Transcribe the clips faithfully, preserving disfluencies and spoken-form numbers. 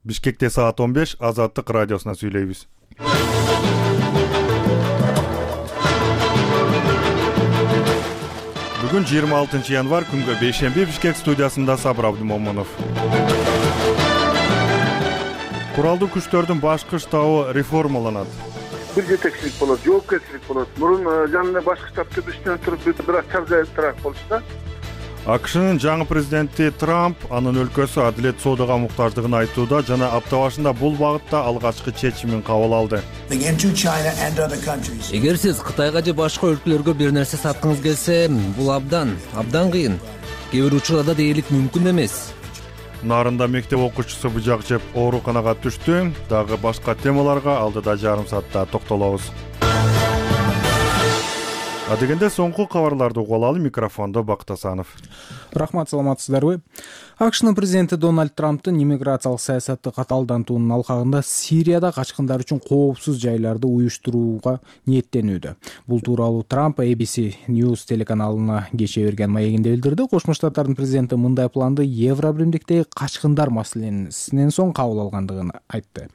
Бишкекте саат он беш, Азаттык радиосуна сүйлөйбүз. Бүгүн жыйырма алтынчы январь, күнгө бейшемби, Бишкек студиясында Сабыр Абдымомунов. Куралдуу күчтөрдүн башкы штабы реформаланат. Бир жетекчилик болот, жоопкерчилик болот. Мурун жанында башкы штаб түзүштөн туруп бир аз чаржайыптыраак болчу да. АКШнын жаңы президенти Трамп анын өлкөсү адилет соодага муктаждыгын айтууда жана апта башында бул багытта алгачкы чечимин кабыл алды. Эгер сиз Кытайга же башка өлкөлөргө бир нерсе саткыңыз келсе, бул абдан, абдан кыйын. Кээ бир учурда дээрлик мүмкүн эмес. Нарында мектеп окуучусу быжак жеп ооруканага түштү. Дагы башка темаларга алдыда жарым саатта токтолобуз. Адегенде соңку кабарларды угуп алалы. Микрофондо Бакыт Асанов. Рахмат, саламатсыздарбы? АКШнын президенти Дональд Трамптын иммиграциялык саясатты катаалдантуунун алкагында Сирияда качкындар үчүн коопсуз жайларды уюштурууга ниеттенүүдө. Бул тууралуу Трамп A B C News телеканалына кечээ берген маегинде билдирди. Кошмо Штаттардын президенти мындай планды Евро биримдиктеги качкындар маселесинен соң кабыл алгандыгын айтты.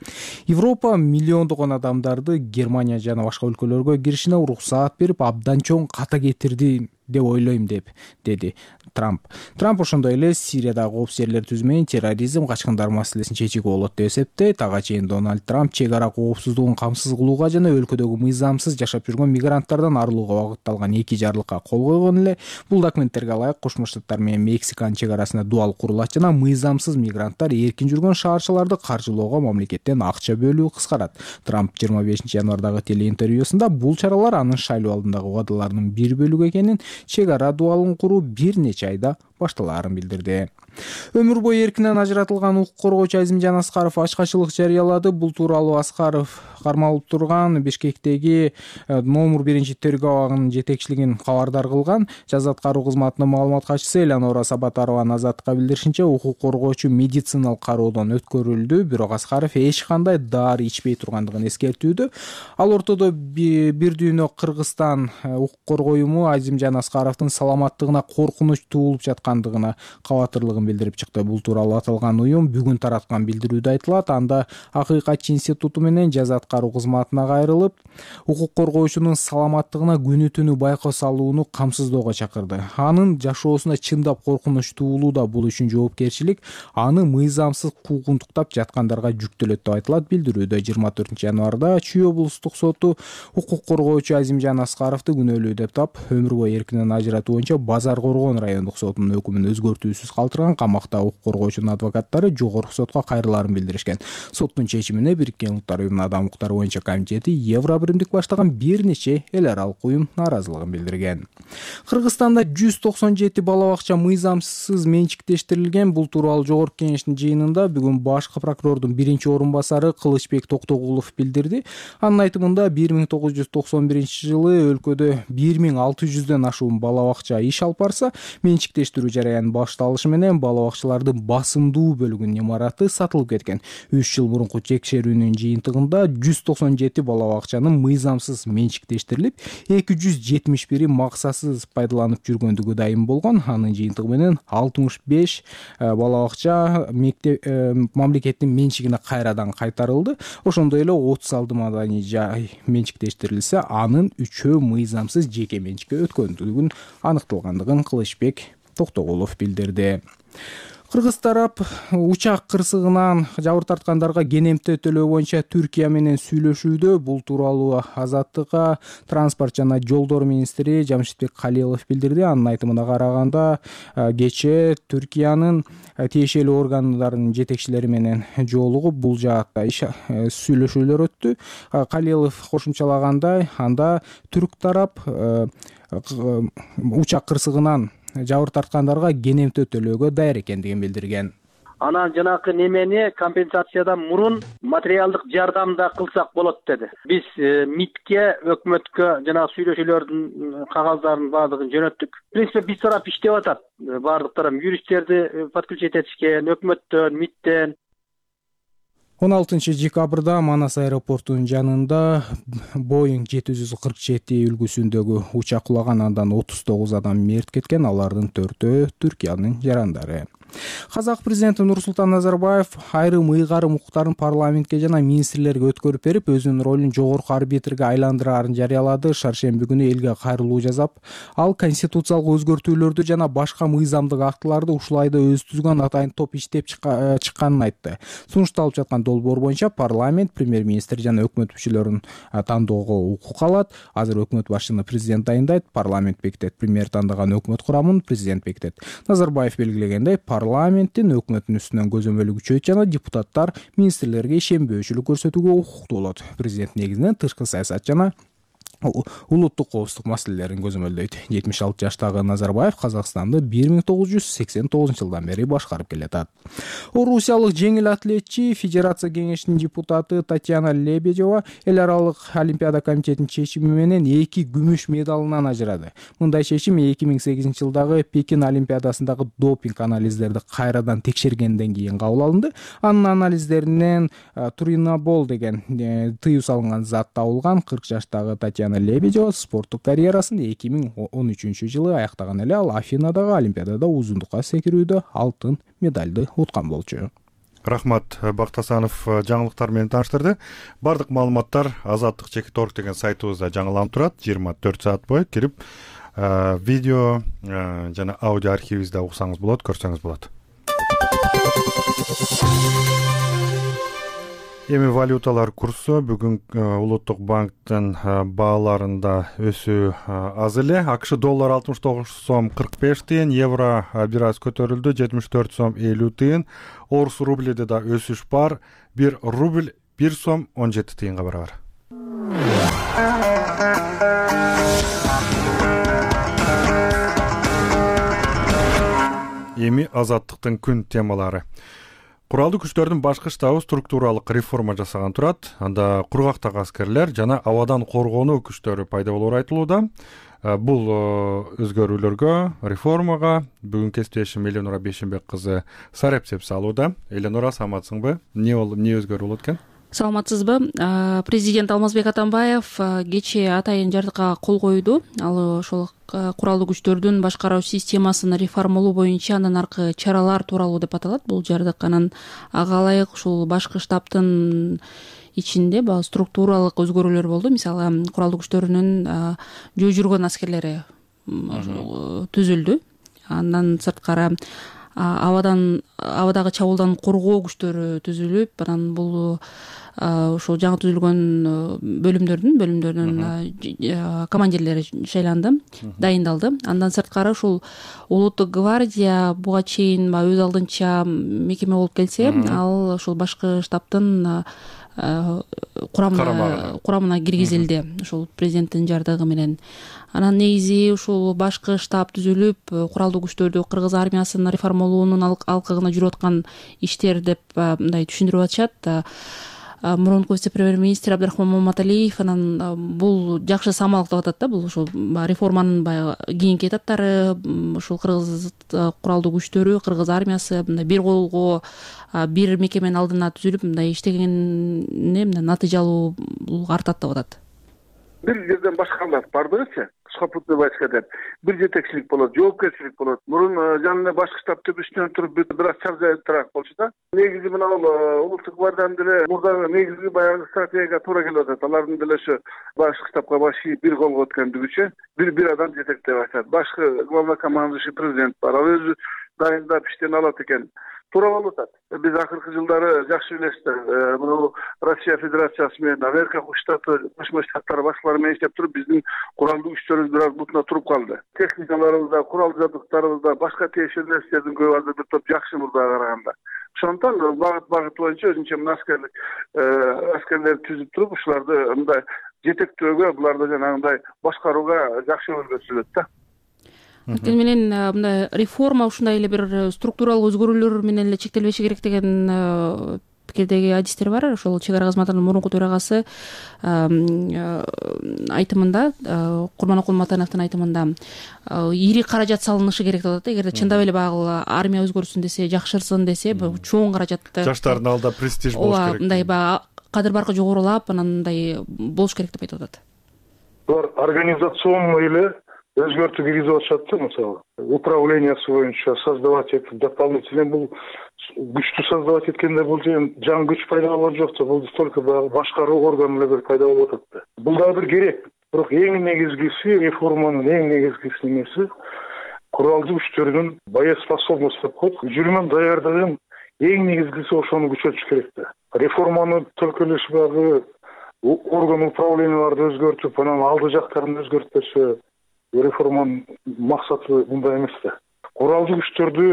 Европа миллиондогон адамдарды Германия жана башка өлкөлөргө киришине уруксаат берип, абдан чоң ката кетирди деп ойлойм деп деди Трамп. Трамп ошондой эле Сириядагы коопсуз жерлер түзүү менен терроризм, качкындар маселесин чечүүгө болот деп эсептейт. Ага чейин Дональд Трамп чек ара коопсуздугун камсыз кылууга жана өлкөдөгү мыйзамсыз жашап жүргөн мигранттардан арылууга багытталган эки жарлыкка кол койгон эле. Бул документтерге ылайык Кошмо Штаттар менен Мексиканын чек арасында дуал курулат жана мыйзамсыз мигранттар эркин жүргөн шаарчыларды каржылоого мамлекеттен акча бөлүү кыскарат. Трамп жыйырма бешинчи январдагы телеинтервьюсунда бул чаралар анын шайлоо алдындагы убадаларынын бир бөлүгү экенин, чек ара дуалын куруу бир нече айда башталаарын билдирди. Өмүр бою эркинен ажыратылган укук коргоочу Азимжан Аскаров ачкачылык жарыялады. Бул тууралуу Аскаров кармалып турган Бишкектеги номер биринчи тергөө абагынын жетекчилигин кабардар кылган. Жаза аткаруу кызматынын маалымат катчысы Элеонора Сабатарованын Азаттыкка билдиришинче, укук коргоочу медициналык кароодон өткөрүлдү, бирок Аскаров эч кандай дары ичпей тургандыгын эскертүүдө. Ал ортодо бир дүйнө Кыргызстан укук коргоо уюму Азимжан Аскаровдун саламаттыгына коркунуч туулуп жаткандыгына кабатырлыгын билдирип чыкты. Бул тууралуу аталган уюм бүгүн тараткан билдирүүдө айтылат. Анда Акыйкатчы институту менен жаза аткаруу кызматына кайрылып, укук коргоочунун саламаттыгына күнү түнү байкоо салууну камсыздоого чакырды. Анын жашоосуна чындап коркунуч туулууда, бул үчүн жоопкерчилик аны мыйзамсыз куугунтуктап жаткандарга жүктөлөт деп айтылат билдирүүдө. жыйырма төртүнчү январда Чүй облустук соту укук коргоочу Азимжан Аскаровду күнөөлүү деп тап, өмүр бою эркинен ажыратуу боюнча Базар Коргон райондук сотунун өкүмүн өзгөртүүсүз калтырган. Камакта укук коргоочунун адвокаттары жогорку сотко кайрылаарын билдиришкен. Соттун чечимине Бириккен Улуттар уюмунун адам укуктары боюнча комитети Евро биримдик баштаган бир нече эл аралык уюм нааразылыгын билдирген. Кыргызстанда жүз токсон жети бала бакча мыйзамсыз менчиктештирилген. Бул тууралуу жогорку кеңештин жыйынында бүгүн башкы прокурордун биринчи орун басары Кылычбек Токтогулов билдирди. Анын айтымында бир миң тогуз жүз токсон биринчи жылы өлкөдө бир миң алты жүздөн ашуун бала бакча иш алып барса, менчиктештирүү жараянын башталышы менен бала бакчалардын басымдуу бөлүгүнүн имараты сатылып кеткен. үч жыл мурунку текшерүүнүн жыйынтыгында жүз токсон жети бала бакчанын мыйзамсыз менчиктештирилип, эки жүз жетимиш бири максатсыз пайдаланып жүргөндүгү дайым болгон. Анын жыйынтыгы менен алтымыш беш бала бакча мектеп мамлекеттин менчигине кайрадан кайтарылды. Ошондой эле отуз алты маданий жай менчиктештирилсе, анын үчөө мыйзамсыз жеке менчикке өткөндүгүн аныкталгандыгын Кылычбек Токтогулов билдирди. Кыргыз тарап учак кырсыгынан жабыр тарткандарга кенемте төлөө боюнча Түркия менен сүйлөшүүдө. Бул тууралуу Азаттыкка транспорт жана жолдор министри Жамшитбек Калилов билдирди. Анын айтымына караганда, кечээ Түркиянын тиешелүү органдарынын жетекчилери менен жолугуп бул жаатта сүйлөшүүлөр өттү. Калилов кошумчалагандай, анда түрк тарап учак кырсыгынан жабыр тарткандарга кенемте төлөөгө даяр экендигин билдирген. Анан жанакы немени компенсациядан мурун материалдык жардам да кылсак болот деди. Биз МИДке, өкмөткө жана сүйлөшүүлөрдүн кагаздарын баардыгын жөнөттүк. В принципе, биз тарап иштеп атат. Баардык тарап юристтерди подключить этишкен, өкмөттөн, МИДтен. он алтынчы декабрда Манас аэропортунун жанында Боeing жети жүз кырк жети үлгүсүндөгү учак кулаган, андан отуз тогуз адам мерт кеткен, алардын төртөө Түркиянын жарандары. Казак президенти Нурсултан Назарбаев айрым ыйгарым укуктарын парламентке жана министрлерге өткөрүп берип, өзүнүн ролун жогорку арбитрге айландыраарын жарыялады. Шаршемби күнү элге кайрылуу жасап, ал конституциялык өзгөртүүлөрдү жана башка мыйзамдык актыларды ушул айда өзү түзгөн атайын топ иштеп чыкканын айтты. Сунушталып жаткан долбоор боюнча парламент премьер-министр жана өкмөт мүчөлөрүн тандоого укук алат. Азыр өкмөт башчыны президент дайындайт, парламент бекитет, премьер тандаган өкмөт курамын президент бекитет. Назарбаев белгилегендей, парламенттин өкмөттүн үстүнөн көзөмөлү күчөйт жана депутаттар министрлерге ишенбөөчүлүк көрсөтүүгө укуктуу болот. Президент негизинен тышкы саясат жана улуттук коопсуздук маселелерин көзөмөлдөйт. жетимиш алты жаштагы Назарбаев Казакстанды бир миң тогуз жүз сексен тогузунчу жылдан бери башкарып келатат. Орусиялык жеңил атлетчи, Федерация кеңешинин депутаты Татьяна Лебедева эл аралык Олимпиада комитетинин чечими менен эки күмүш медалынан ажырады. Мындай чечим эки миң сегизинчи жылдагы Пекин Олимпиадасындагы допинг анализдерди кайрадан текшергенден кийин кабыл алынды. Анын анализдеринен туринабол деген тыюу салынган зат табылган. кырк жаштагы Татьяна Лебедева спорттук карьерасын эки миң он үчүнчү жылы аяктаган эле. Ал Афинадагы Олимпиадада узундукка секирүүдө алтын медалды уткан болчу. Рахмат, Бактасанов жаңылыктар менен тааныштырды. Бардык маалыматтар Азаттык чекит орг деген сайтыбызда жаңыланып турат. жыйырма төрт саат бою кирип видео жана аудио архивибизде уксаңыз болот, көрсөңүз болот. Эми валюталар курсу бүгүн Улуттук банктын бааларында өсүү аз эле. АКШ доллар алтымыш тогуз сом кырк беш тыйын, евро бир аз көтөрүлдү, жетимиш төрт сом элүү тыйын. Орус рублиде да өсүш бар. бир рубль бир сом он жети тыйынга барабар. Эми Азаттыктын күн темалары. Куралдуу күчтөрдүн башкы штабы структуралык реформа жасаган турат. Анда кургактагы аскерлер жана абадан коргонуу күчтөрү пайда болоору айтылууда. Бул өзгөрүүлөргө, реформага бүгүн кесиптешим Эленора Бейшенбек кызы сарепсеп салууда. Эленора, саламатсыңбы? Эмне болуп, эмне өзгөрүү болот экен? Саламатсызбы? Президент Алмазбек Атамбаев кечээ атайын жардыкка кол койду. Ал ошол куралдуу күчтөрдүн башкаруу системасын реформалоо боюнча андан аркы чаралар тууралуу деп аталат. Бул жардык анан ага ылайык ушул башкы штабтын ичинде баягы структуралык өзгөрүүлөр болду. Мисалы, куралдуу күчтөрүнүн жөө жүргөн аскерлери түзүлдү. Андан сырткары абадан абадагы чабуулдан коргоо күчтөрү түзүлүп, анан бул ошол жаңы түзүлгөн бөлүмдөрдүн бөлүмдөрдүн командирлери шайланды, дайындалды. Андан сырткары ушул улуттук гвардия буга чейин өз алдынча мекеме болуп келсе, ал ошол башкы штабтын курамына курамына киргизилди, ошол президенттин жардыгы менен. Анан негизи ушул башкы штаб түзүлүп, куралдуу күчтөрдү Кыргыз армиясын реформалоонун алкагына жүрүп аткан иштер деп мындай түшүндүрүп атышат. Мурунку вице-премьер-министр Абдрахман Маматалиев анан бул жакшы самалык деп атат да, бул ошол реформанын баягы кийинки этаптары, ушул Кыргыз куралдуу күчтөрү, Кыргыз армиясы мындай бир колго бир мекеменин алдына түзүлүп мындай иштегенине натыйжалуу артат деп атат. Бир жерден башкалар бардыгычы сухопутный войска деп бир жетекчилик болот, жоопкерчилик болот. Мурун жанында башкы штаб төбөсүнөн туруп бир аз чаржайыраак болчу да. Негизи мына бул улуттук гвардиянын деле мурдагы негизги баягы стратегияга туура келип атат. Алардын деле ошо башкы штабка баш ийип бир колго өткөндүгүчө бир бир адам жетектеп атат. Башкы главнокомандующий президент бар. Ал өзү дайындап иштен алат экен. Туура болуп атат. Биз акыркы жылдары жакшы билесиздер, мына Россия Федерациясы менен Америка Штаты, Кошмо Штаттар башкалары менен иштеп туруп, биздин куралдуу күчтөрүбүз бир аз бутуна туруп калды. Техникаларыбызда, курал жабдыктарыбызда, башка тиешелүү нерселердин көбү азыр бир топ жакшы мурдага караганда. Ошондон багыт багыт боюнча өзүнчө мына аскерлик аскерлер түзүп туруп, ушуларды мындай жетектөөгө, буларды жанагындай башкарууга жакшы өргөзүлөт да. Анткени менен мындай реформа ушундай эле бир структуралык өзгөрүүлөр менен эле чектелбеши керек деген пикирдеги адистер бар. Ошол чек ара кызматынын мурунку төрагасы айтымында, Курманокул Матановдун айтымында ири каражат салынышы керек деп атат. Эгерде чындап эле баягы армия өзгөрсүн десе, жакшырсын десе, чоң каражат жаштардын алдында престиж болуш керек. Мындай баягы кадыр баркы жогорулап, анан мындай болуш керек деп айтып атат. Булар организационный эле өзгөртүү киргизип атышат да, мисалы управлениясы боюнча создавать этип дополнительно. Бул күчтү создавать эткенде бул жаңы күч пайда болгон жок да, бул только башкаруу органы эле пайда болуп атат да. Бул дагы бир керек. Бирок эң негизгиси, реформанын эң негизгиси немеси куралдуу күчтөрдүн боеспособность деп коет, жүрмөн даярдыгын эң негизгиси ошону күчөтүш керек да. Реформаны только лишь баягы орган управленияларды өзгөртүп, анан алды жактарын өзгөртпөсө, реформанын максаты мындай эмес да. Куралдуу күчтөрдү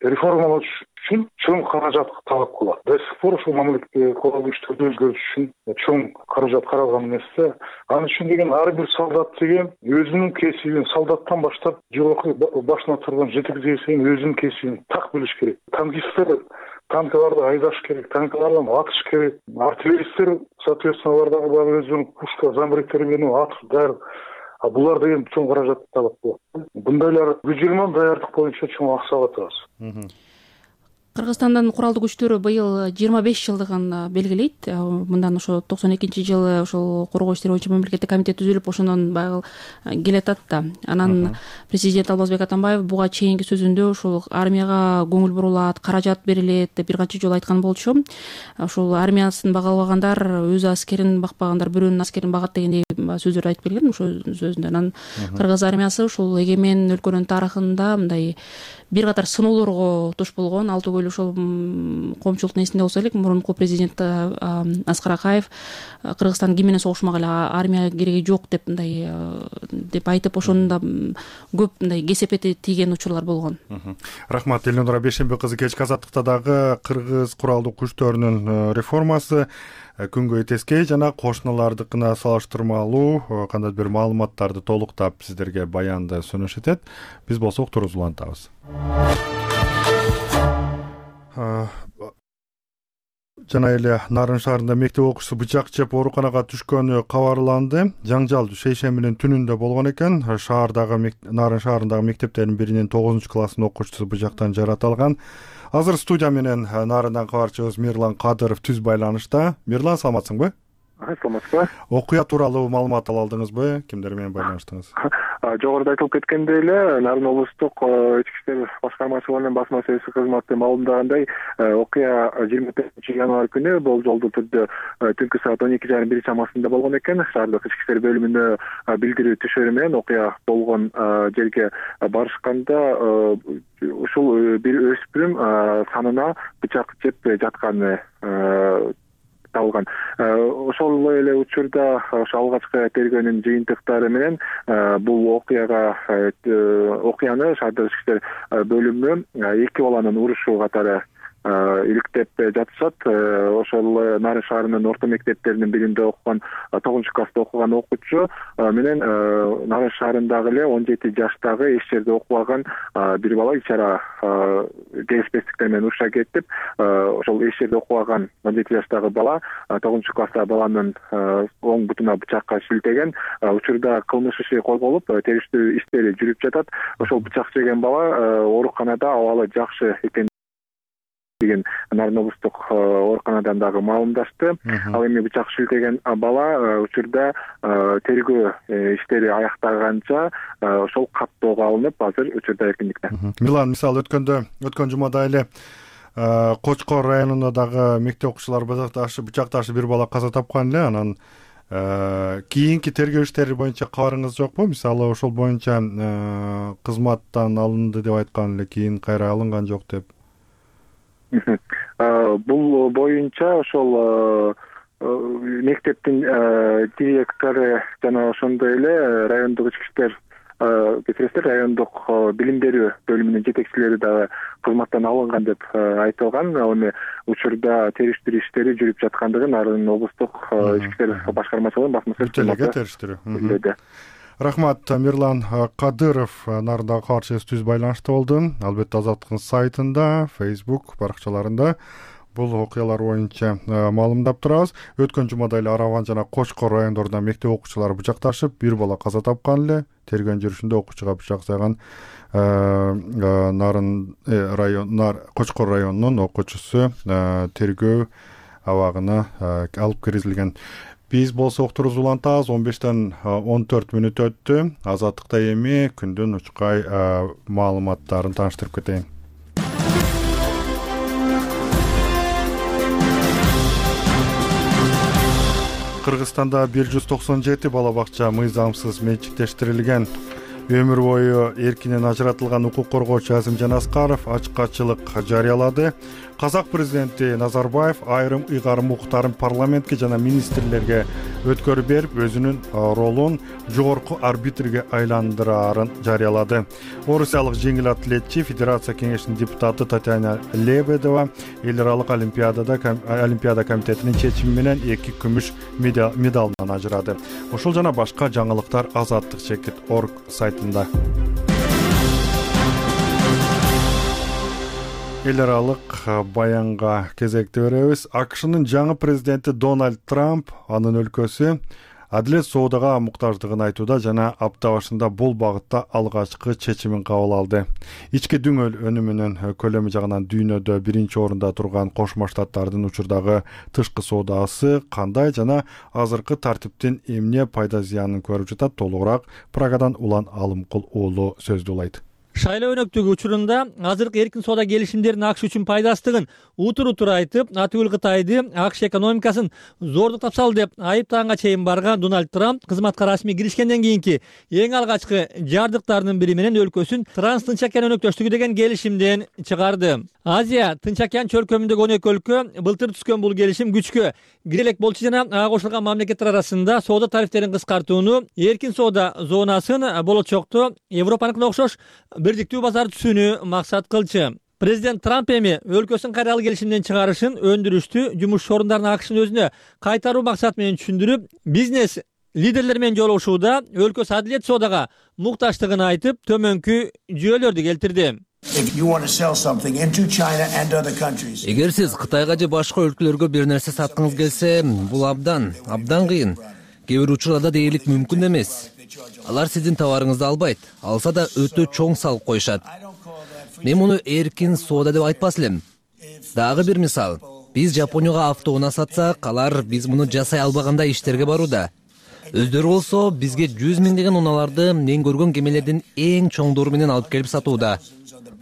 реформалаш үчүн чоң каражат талап кылат. До сих пор ушул мамлекетте куралдуу күчтөрдү өзгөртүш үчүн чоң каражат каралган эмес да. Анын үчүн деген ар бир солдат деген өзүнүн кесибин, солдаттан баштап жогорку башына турган жетекчиге чейин өзүнүн кесибин так билиш керек. Танкисттер танкаларды айдаш керек, танкалардан атыш керек. Артиллеристтер, соответственно, алардагы өзүнүн пушка, замбректери менен атыш даяр. А булар деген чоң каражат талап кылат. Бундайлар жүзүлмөн даярдык боюнча чоң акча алат. Кыргызстандын куралдуу күчтөрү быйыл жыйырма беш жылдыгын белгилейт. Мындан ошо токсон экинчи жылы ошол коргоо иштери боюнча мамлекеттик комитет түзүлүп, ошондон баягы келатат да. Анан президент Алмазбек Атамбаев буга чейинки сөзүндө ушул армияга көңүл бурулат, каражат берилет деп бир канча жолу айткан болчу. Ушул армиясын бага албагандар, өз аскерин бакпагандар бирөөнүн аскерин багат дегендей сөздөрдү айтып келген ошол сөзүндө. Анан кыргыз армиясы ушул эгемен өлкөнүн тарыхында мындай бир катар сыноолорго туш болгон. Алты көйлү ошол коомчулуктун эсинде болсо элек, мурунку президент Аскар Акаев Кыргызстан ким менен согушмак эле, армия кереги жок деп мындай деп айтып, ошондо көп мындай кесепети тийген учурлар болгон. Рахмат, Элнура Бейшембек кызы. Кечки азаттыкта дагы кыргыз куралдуу күчтөрүнүн реформасы күнгөй тескей жана кошуналардыкына салыштырмалуу кандайдыр бир маалыматтарды толуктап сиздерге баянды сүнөш этет. Биз болсо уктуруубузду улантабыз. Жана эле Нарын шаарында мектеп окуучусу бычак жеп ооруканага түшкөнү кабарланды. Жаңжал шейшембинин түнүндө болгон экен. Шаардагы Нарын шаарындагы мектептердин биринин тогузунчу класстын окуучусу бычактан жаратылган. Азыр студия менен Нарындан кабарчыбыз Мирлан Кадыров түз байланышта. Мирлан, саламатсыңбы? Саламатсызбы. Окуя тууралуу маалымат ала алдыңызбы? Кимдер менен байланыштыңыз? Жогоруда айтылып кеткендей эле, Нарын облустук ички иштер башкармачылыгынын басма сөзсү кызматы маалымдагандай, окуя жыйырма төртүнчү январь күнү болжолдуу түрдө түнкү саат он эки жарым бир чамасында болгон экен. Шаардык ички иштер бөлүмүнө билдирүү түшөрү менен окуя болгон жерге барышканда ушул бир өспүрүм санына бычак жеп жатканы алган. Ошол эле учурда ошо алгачкы тергөөнүн жыйынтыктары менен бул окуяга окуяны шаардык ички иштер бөлүмү эки баланын урушу катары иликтеп жатышат. Ошол Нарын шаарынын орто мектептеринин биринде окуган, тогузунчу класста окуган окуучу менен Нарын шаарындагы эле он жети жаштагы эч жерде окубаган бир бала ичара келишпестиктер менен уруша кетип, ошол эч жерде окубаган он жети жаштагы бала тогузунчу класстагы баланын оң бутуна бычакка шилтеген. Учурда кылмыш иши козголуп, териштирүү иштери жүрүп жатат. Ошол бычак жеген бала ооруканада абалы жакшы экен деген Нарын облустук ооруканадан дагы маалымдашты. Ал эми бычак шилтеген бала учурда тергөө иштери аяктаганча ошол каттоого алынып, азыр учурда эркиндикте. Милан, мисалы өткөндө өткөн жумада эле Кочкор районунда дагы мектеп окуучулары бычакташып бир бала каза тапкан эле. Анан кийинки тергөө иштери боюнча кабарыңыз жокпу? Мисалы ошол боюнча кызматтан алынды деп айткан эле, кийин кайра алынган жок деп. Бул боюнча ошол мектептин директору жана ошондой эле райондук ички иштер кетиресиздер, райондук билим берүү бөлүмүнүн жетекчилери дагы кызматтан алынган деп айтылган. Эми учурда териштирүү иштери жүрүп жаткандыгын Нарын облустук ички иштер башкармачылыгынын басма сөз кызматы териштирүү. Рахмат, Мирлан Кадыров Нарындагы кабарчыбыз түз байланышта болду. Албетте Азаттыктын сайтында, Facebook баракчаларында бул окуялар боюнча маалымдап турабыз. Өткөн жумада эле Араван жана Кочкор райондорунда мектеп окуучулары бычакташып, бир бала каза тапкан эле. Тергөө жүрүшүндө окуучуга бычак сайган Нарын район Кочкор районунун окуучусу тергөө абагына алып киргизилген. Биз болсо уктуруубузду улантабыз. он бештен он төрт мүнөт өттү. Азаттыкта эми күндүн учкай маалыматтарын тааныштырып кетейин. Кыргызстанда бир жүз токсон жети бала бакча мыйзамсыз менчиктештирилген. Өмүр бою эркинен ажыратылган укук коргоочу Азимжан Аскаров ачкачылык жарыялады. Казак президенти Назарбаев айрым ыйгарым укуктарын парламентке жана министрлерге өткөрүп берип, өзүнүн ролун жогорку арбитрге айландырарын жарыялады. Орусиялык жеңил атлетчи Федерация кеңешинин депутаты Татьяна Лебедова эл аралык олимпиадада Олимпиада комитетинин чечими менен эки күмүш медалынан ажырады. Ошол жана башка жаңылыктар азаттык чекит точка орг сайтында. Эл аралык баянга кезекти беребиз. АКШнын жаңы президенти Дональд Трамп анын өлкөсү адилет соодага муктаждыгын айтууда жана апта башында бул багытта алгачкы чечимин кабыл алды. Ички дүң өнүмүнүн көлөмү жагынан дүйнөдө биринчи орунда турган Кошмо Штаттардын учурдагы тышкы соодасы кандай жана азыркы тартиптин эмне пайда зыянын көрүп жатат, толугураак Прагадан Улан Алымкул уулу сөздүлайт. Шайлоо өнөктүгү учурунда азыркы эркин соода келишимдеринин АКШ үчүн пайдасыздыгын утур-утур айтып, атүгүл Кытайды АКШ экономикасын зордуктап салды деп айыптаганга чейин барган Дональд Трамп кызматка расмий киришкенден кийинки эң алгачкы жардыктарынын бири менен өлкөсүн Транс-Тынч океан өнөктөштүгү деген келишимден чыгарды. Азия Тынч океан чөлкөмүндөгү он эки өлкө былтыр түзгөн бул келишим күчкө кире элек болчу жана ага кошулган мамлекеттер арасында соода тарифтерин кыскартууну, эркин соода зонасын болочокто Европаныкына окшош бирдиктүү базар түзүүнү максат кылчу. Президент Трамп эми өлкөсүн кайрылуу келишимден чыгарышын өндүрүштү жумуш орундарын АКШнын өзүнө кайтаруу максаты менен түшүндүрүп, бизнес лидерлер менен жолугушууда өлкөсү адилет соодага мукташтыгын айтып, төмөнкү жүйөлөрдү келтирди. Эгер сиз Кытайга же башка өлкөлөргө бир нерсе саткыңыз келсе, бул абдан, абдан кыйын. Кээ бир учурларда дээрлик мүмкүн эмес. Алар сиздин товарыңызды албайт, алса да өтө чоң салык коюшат. Мен муну эркин соода деп айтпас элем. Дагы бир мисал, биз Жапонияга автоунаа сатсак, алар биз муну жасай албагандай иштерге барууда. Өздөрү болсо бизге жүз миңдеген унааларды мен көргөн кемелердин эң чоңдору менен алып келип сатууда.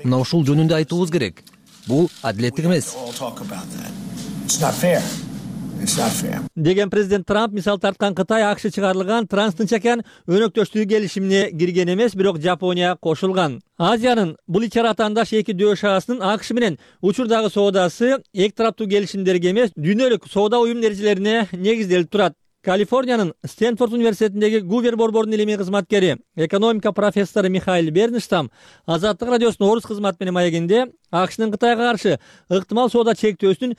Мына ушул жөнүндө айтуубуз керек. Бул адилеттик эмес. Деген президент Трамп мисал тарткан Кытай АКШ чыгарылган Транс-Тынч океан өнөктөштүгү келишимине кирген эмес, бирок Жапония кошулган. Азиянын бул ичара атаандаш эки дөш шаасынын АКШ менен учурдагы соодасы эки тараптуу келишимдерге эмес, дүйнөлүк соода уюмунун эрежелерине негизделип турат. Калифорниянын Стэнфорд университетиндеги Гувер борборунун илимий кызматкери, экономика профессору Михаил Бернштам Азаттык радиосунун орус кызматы менен маегинде АКШнын Кытайга каршы ыктымал соода чектөөсүнүн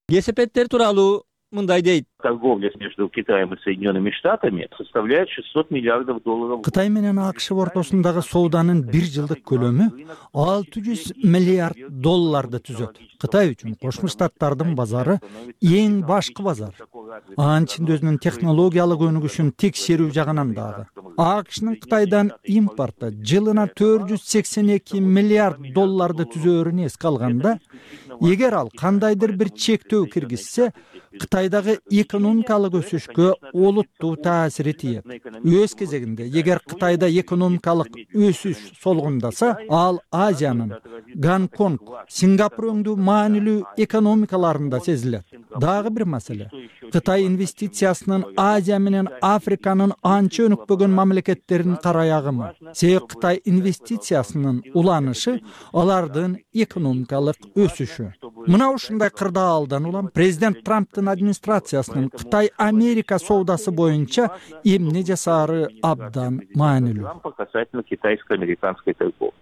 кесепеттери тууралуу мындай дейт. Торговля между Китаем и Соединенными Штатами составляет шестьсот миллиардов долларов. Кытай менен АКШ ортосундагы сооданын бир жылдык көлөмү алты жүз миллиард долларды түзөт. Кытай үчүн Кошмо Штаттардын базары эң башкы базар. Анын ичинде өзүнүн технологиялык өнүгүшүн текшерүү жагынан дагы. АКШнын Кытайдан импорты жылына төрт жүз сексен эки миллиард долларды түзөөрүн эске алганда, эгер ал кандайдыр бир чектөө киргизсе, Кытайдагы экономикалык өсүшкө олуттуу таасири тиет. Өз кезегинде, эгер Кытайда экономикалык өсүш солгундаса, ал Азиянын Гонконг, Сингапур өңдүү маанилүү экономикаларында сезилет. Дагы бир маселе. Кытай инвестициясынын Азия менен Африканын анча өнүкпөгөн мамлекеттеринин караягымы. Себеби Кытай инвестициясынын уланышы алардын экономикалык өсүшү. Мына ушундай кырдаалдан улам президент Трамптын администрациясынын Кытай Америка соодасы боюнча эмне жасаары абдан маанилүү.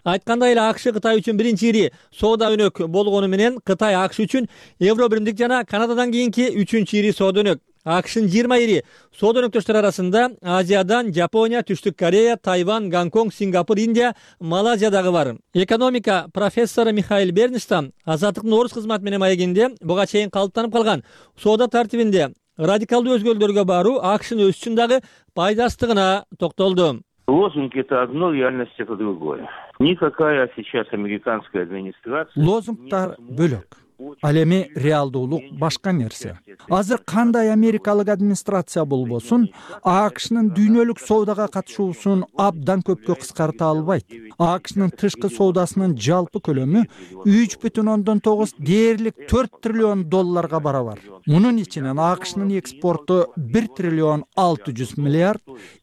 Айткандай эле АКШ Кытай үчүн биринчи ири соода өнөк болгону менен Кытай АКШ үчүн Евробиримдик жана Канададан кийинки үчүнчү ири соода өнөк. АКШнын жыйырма ири соода өнөктөштөрү арасында Азиядан Жапония, Түштүк Корея, Тайвань, Гонконг, Сингапур, Индия, Малайзия дагы бар. Экономика профессору Михаил Бернштам Азаттыктын орус кызматы менен маегинде буга чейин калыптанып калган соода тартибинде радикалдуу өзгөрүүлөргө баруу АКШнын өсүшүн дагы пайдасыздыгына токтолду. Лозунг — это одно, реальность — это другое. Никакая сейчас американская администрация... Лозунгтар бөлөк. Ал эми реалдуулук башка нерсе. Азыр кандай америкалык администрация болбосун, АКШнын дүйнөлүк соодага катышуусун абдан көпкө кыскарта албайт. АКШнын тышкы соодасынын жалпы көлөмү үч бүтүн ондон тогуз дээрлик төрт триллион долларга барабар. Мунун ичинен АКШнын экспорту бир триллион алты жүз миллиард,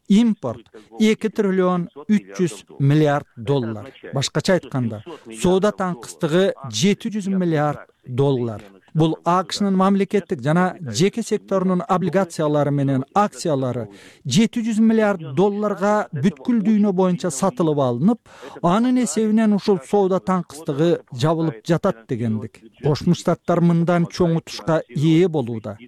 импорт эки триллион үч жүз миллиард доллар. Башкача айтканда, соода таңкыстыгы жети жүз миллиард доллар. Бул АКШнын мамлекеттик жана жеке секторунун облигациялары менен акциялары жети жүз миллиард долларга бүткүл дүйнө боюнча сатылып алынып, анын эсебинен ушул соода таңкыстыгы жабылып жатат дегендик. Кошмо Штаттар мындан чоң утушка ээ болууда.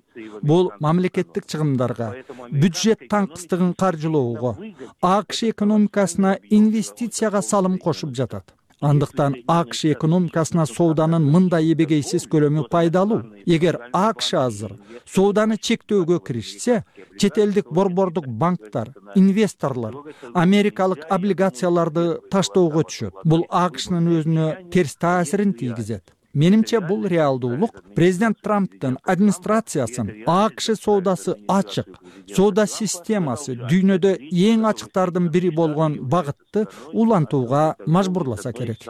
Бул мамлекеттик чыгымдарга, бюджет таңкыстыгын каржылоого, АКШ экономикасына инвестицияга салым кошуп жатат. Андыктан АКШ экономикасына сооданын мындай эбегейсиз көлөмү пайдалуу. Эгер АКШ азыр сооданы чектөөгө киришсе, чет элдик борбордук банктар, инвесторлор америкалык облигацияларды таштоого түшөт. Бул АКШнын өзүнө терс таасирин тийгизет. Менимче бул реалдуулук президент Трамптын администрациясын АКШ соодасы ачык, соода системасы дүйнөдө эң ачыктардын бири болгон багытты улантууга мажбурласа керек.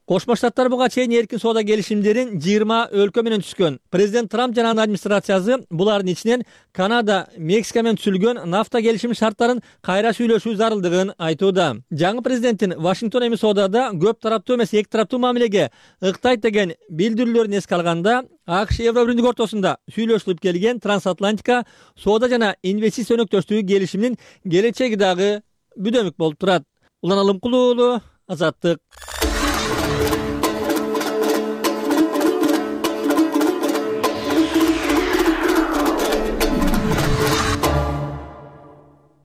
Кошмо Штаттар буга чейин эркин соода келишимдерин жыйырма өлкө менен түзгөн. Президент Трамп жана анын администрациясы булардын ичинен Канада, Мексика менен түзүлгөн нафта келишими шарттарын кайра сүйлөшүү зарылдыгын айтууда. Жаңы президенттин Вашингтон эми соодада көп тараптуу эмес эки тараптуу мамилеге ыктайт деген билдирүүлөрүн эске алганда, АКШ Евро биримдик ортосунда сүйлөшүлүп келген трансатлантика соода жана инвестиция өнөктөштүгү келишиминин келечеги дагы бүдөмүк болуп турат. Улан Алымкулуу уулу, Азаттык.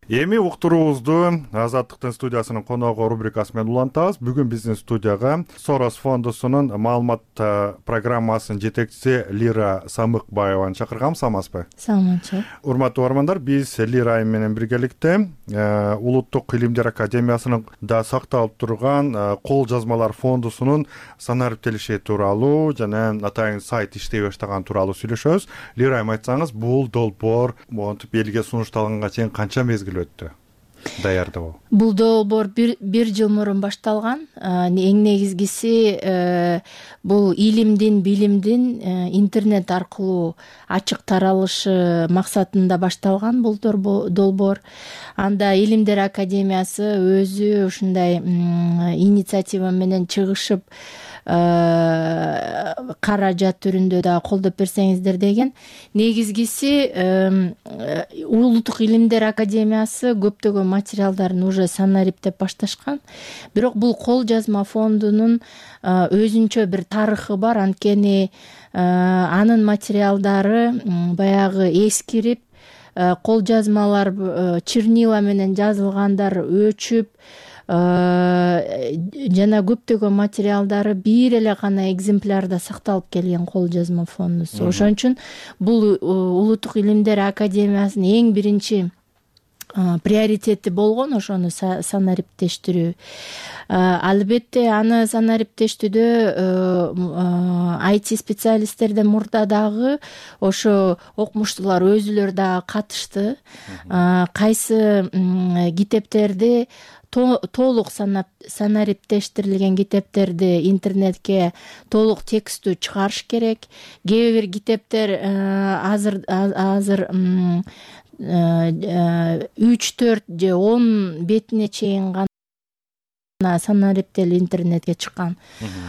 Эми уктуруубузду Азаттыктын студиясынын коногу рубрикасы менен улантабыз. Бүгүн биздин студияга Сорос фондусунун маалымат программасынын жетекчиси Лира Самыкбаеваны чакыргам. Саламатсызбы? Саламатчы. Урматтуу угармандар, биз Лира айым менен биргеликте Улуттук илимдер академиясынын да сакталып турган кол жазмалар фондусунун санариптелиши тууралуу жана атайын сайт иштей баштаган тууралуу сүйлөшөбүз. Лира айым, айтсаңыз, бул долбоор монтип элге сунушталганга чейин канча мезгил өттү даярдоо? Бул долбоор бир, бир жыл мурун башталган. Эң негизгиси бул илимдин, билимдин интернет аркылуу ачык таралышы максатында башталган бул долбоор. Анда Илимдер академиясы өзү ушундай инициатива менен чыгышып, каражат түрүндө да колдоп берсеңиздер деген. Негизгиси Улуттук илимдер академиясы көптөгөн материалдарын уже санариптеп башташкан. Бирок бул кол жазма фондунун өзүнчө бир тарыхы бар. Анткени анын материалдары баягы эскирип, кол жазмалар чернила менен жазылгандар өчүп, жана көптөгөн материалдары бир эле гана экземплярда сакталып келген кол жазма фондусу. Ошон үчүн бул Улуттук илимдер академиясынын эң биринчи приоритети болгон ошону санариптештирүү. Албетте аны санариптештүүдө ай ти специалисттерден мурда дагы ошо окумуштуулар өзүлөрү дагы катышты. Кайсы китептерди толук санариптештирилген китептерди интернетке толук текстүү чыгарыш керек. Кээ бир китептер азыр азыр үч төрт же он бетине чейин гана санариптелип интернетке чыккан.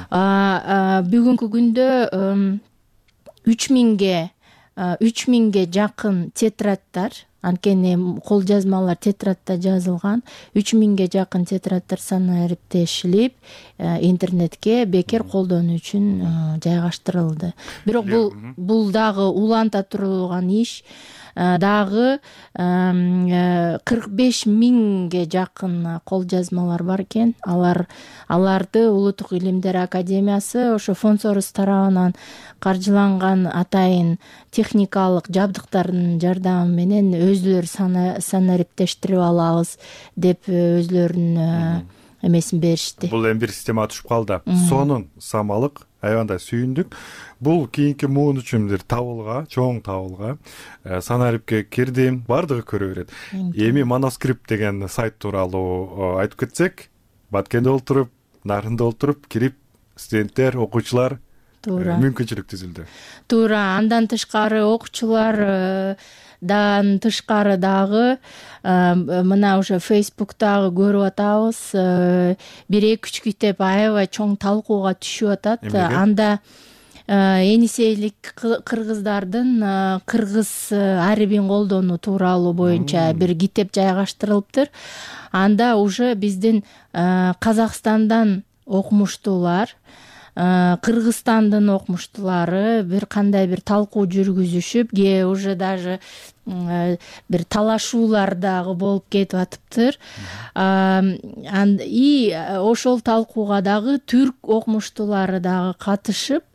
Бүгүнкү күндө үч миңге үч миңге жакын тетрадтар, анткени кол жазмалар тетрадта жазылган, үч миңге жакын тетрадтар санариптешилип интернетке бекер колдонуу үчүн жайгаштырылды. Бирок бул бул дагы уланта турулган иш. Дагы кырк беш миңге жакын кол жазмалар бар экен. Алар аларды Улуттук илимдер академиясы ошо фонд Сорос тарабынан каржыланган атайын техникалык жабдыктардын жардамы менен өзүлөрү санариптештирип алабыз деп өзүлөрүнүн эмесин беришти. Бул эми бир система түшүп калды. Сонун самалык аябандай сүйүндүк. Бул кийинки муун үчүн бир табылга, чоң табылга санариптке кирди, бардыгы көрө берет. Эми Манускрипт деген сайт тууралуу айтып кетсек, Баткенде олтуруп, Нарында олтуруп кирип студенттер, окуучулар мүмкүнчүлүк түзүлдү. Туура. Андан тышкары окуучулар дан тышкары дагы мына уже Facebook'тагы көрүп атабыз, бир эки үч китеп аябай чоң талкууга түшүп атат. Анда энисейлик кыргыздардын кыргыз арибин колдонуу тууралуу боюнча бир китеп жайгаштырылыптыр. Анда уже биздин Казакстандан окумуштуулар, Кыргызстандын окумуштуулары бир кандай бир талкуу жүргүзүшүп, ке уже даже бир талашуулар дагы болуп кетип атыптыр. И ошол талкууга дагы түрк окумуштуулары дагы катышып,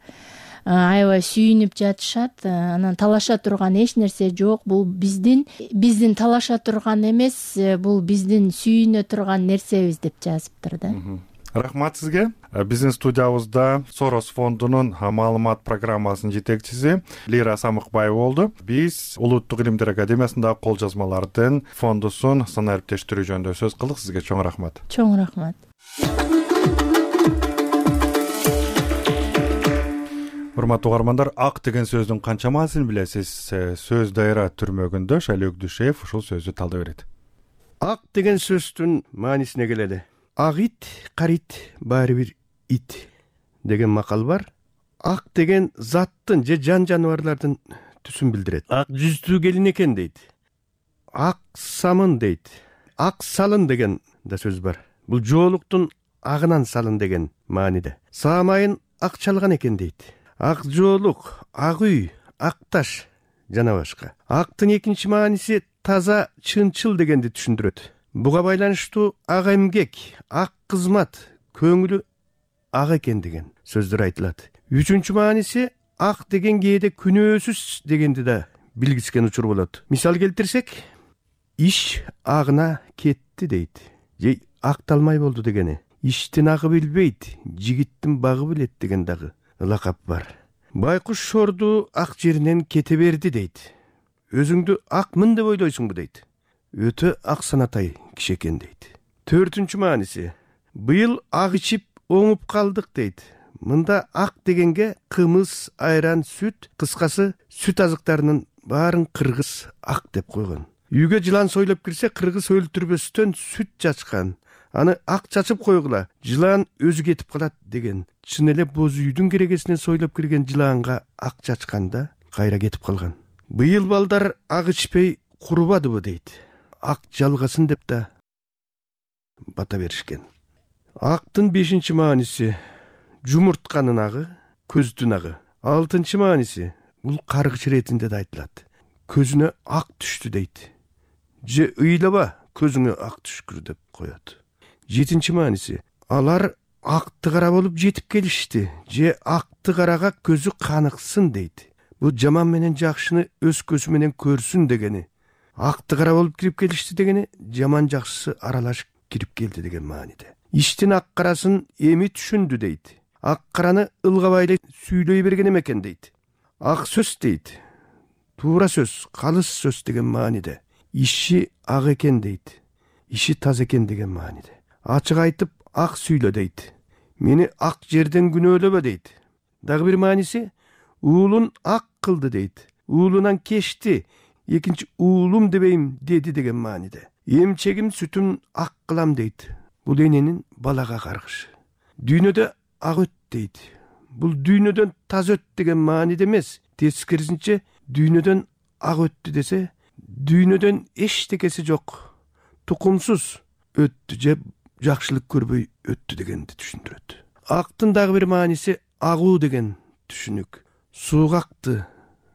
аябай сүйүнүп жатышат. Анан талаша турган эч нерсе жок. Бул биздин биздин талаша турган эмес, бул биздин сүйүнө турган нерсебиз деп жазыптыр да. Рахмат сизге. Биздин студиябызда Сорос фондунун маалымат программасынын жетекчиси Лира Самыкбаева болду. Биз Улуттук илимдер академиясындагы кол жазмалардын фондусун санариптештирүү жөнүндө сөз кылдык. Сизге чоң рахмат. Чоң рахмат. Урматтуу угармандар, ак деген сөздүн канча мааниsin билесиз? Сөз дайра түрмөгүндө Шайлоо Өкдүшев ушул сөздү талдап берет. Ак деген сөздүн маанисине келели. Ак ит, карит, баары бир ит деген макал бар. Ак деген заттын же жан жаныбарлардын түсүн билдирет. Ак жүздүү келин экен дейт. Ак самын дейт. Ак салын деген да сөз бар. Бул жоолуктун агынан салын деген мааниде. Саамайын ак чалган экен дейт. Ак жоолук, ак үй, ак таш жана башка. Актын экинчи мааниси таза, чынчыл дегенди түшүндүрөт. Буга байланыштуу ак эмгек, ак кызмат, көңүлү ак экен деген сөздөр айтылат. Үчүнчү мааниси ак деген кээде күнөөсүз дегенди да билгискен учур болот. Мисал келтирсек, иш агына кетти дейт. Же акталмай болду дегени. Иштин агы билбейт, жигиттин багы билет деген дагы лакап бар. Байкуш шорду ак жеринен кете берди дейт. Өзүңдү акмын деп ойлойсуңбу дейт. Өтө ак санатай киши экен дейт. Төртүнчү мааниси, быйыл ак ичип оңуп калдык дейт. Мында ак дегенге кымыз, айран, сүт, кыскасы сүт азыктарынын баарын кыргыз ак деп койгон. Үйгө жылан сойлоп кирсе, кыргыз өлтүрбөстөн сүт чачкан. Аны ак чачып койгула, жылан өзү кетип калат деген. Чын эле боз үйдүн керегесинен сойлоп кирген жылаанга ак чачканда кайра кетип калган. Быйыл балдар ак ичпей курубадыбы дейт. Ак жалгасын деп да бата беришкен. Актын бешинчи мааниси жумуртканын агы, көздүн агы. Алтынчы мааниси бул каргыч иретинде да айтылат. Көзүнө ак түштү дейт. Же ыйлаба, көзүңө ак түшкүр деп коет. Жетинчи мааниси алар акты кара болуп жетип келишти. Же акты карага көзү каныксын дейт. Бул жаман менен жакшыны өз көзү менен көрсүн дегени. Акты кара болуп кирип келишти дегени жаман жакшысы аралашып кирип келди деген мааниде. Иштин ак карасын эми түшүндү дейт. Ак караны ылгабай сүйлөй берген экен дейт. Ак сөз дейт. Туура сөз, калыс сөз деген мааниде. Иши ак экен дейт. Иши таза экен деген мааниде. Ачык айтып ак сүйлө дейт. Мени ак жерден күнөөлөбө дейт. Дагы бир мааниси уулун ак кылды дейт. Уулунан кечти. Экинчи уулум дебейм деди деген мааниде. Эмчегим сүтүн ак кылам дейт. Бул эненин балага каргышы. Дүйнөдө ак өт дейт. Бул дүйнөдөн таза өт деген мааниде эмес. Тескерисинче дүйнөдөн ак өттү десе, дүйнөдөн эчтекеси жок, тукумсуз өттү же жакшылык көрбөй өттү дегенди түшүндүрөт. Актын дагы бир мааниси агуу деген түшүнүк. Сууга акты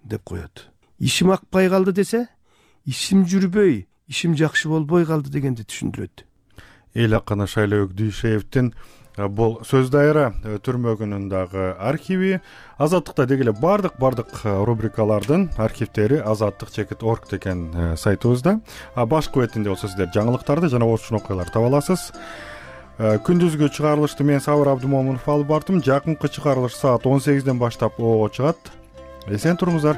деп коет. Ишим акпай калды десе, ишим жүрбөй, ишим жакшы болбой калды дегенди түшүндүрөт. Эл акыны Шайлоо Өкдүшевдин бул сөз дайра түрмөгүнүн дагы архиви, Азаттыкта дегеле бардык бардык рубрикалардын архивдери азаттык чекит точка орг деген сайтыбызда. Башкы бетинде болсо сиздер жаңылыктарды жана ошон окуяларды таба аласыз. күндүзгү чыгарылышты мен Сабыр Абдымомунов алып бардым. Жакынкы чыгарылыш саат он сегизден баштап ого чыгат. Эсен туруңуздар.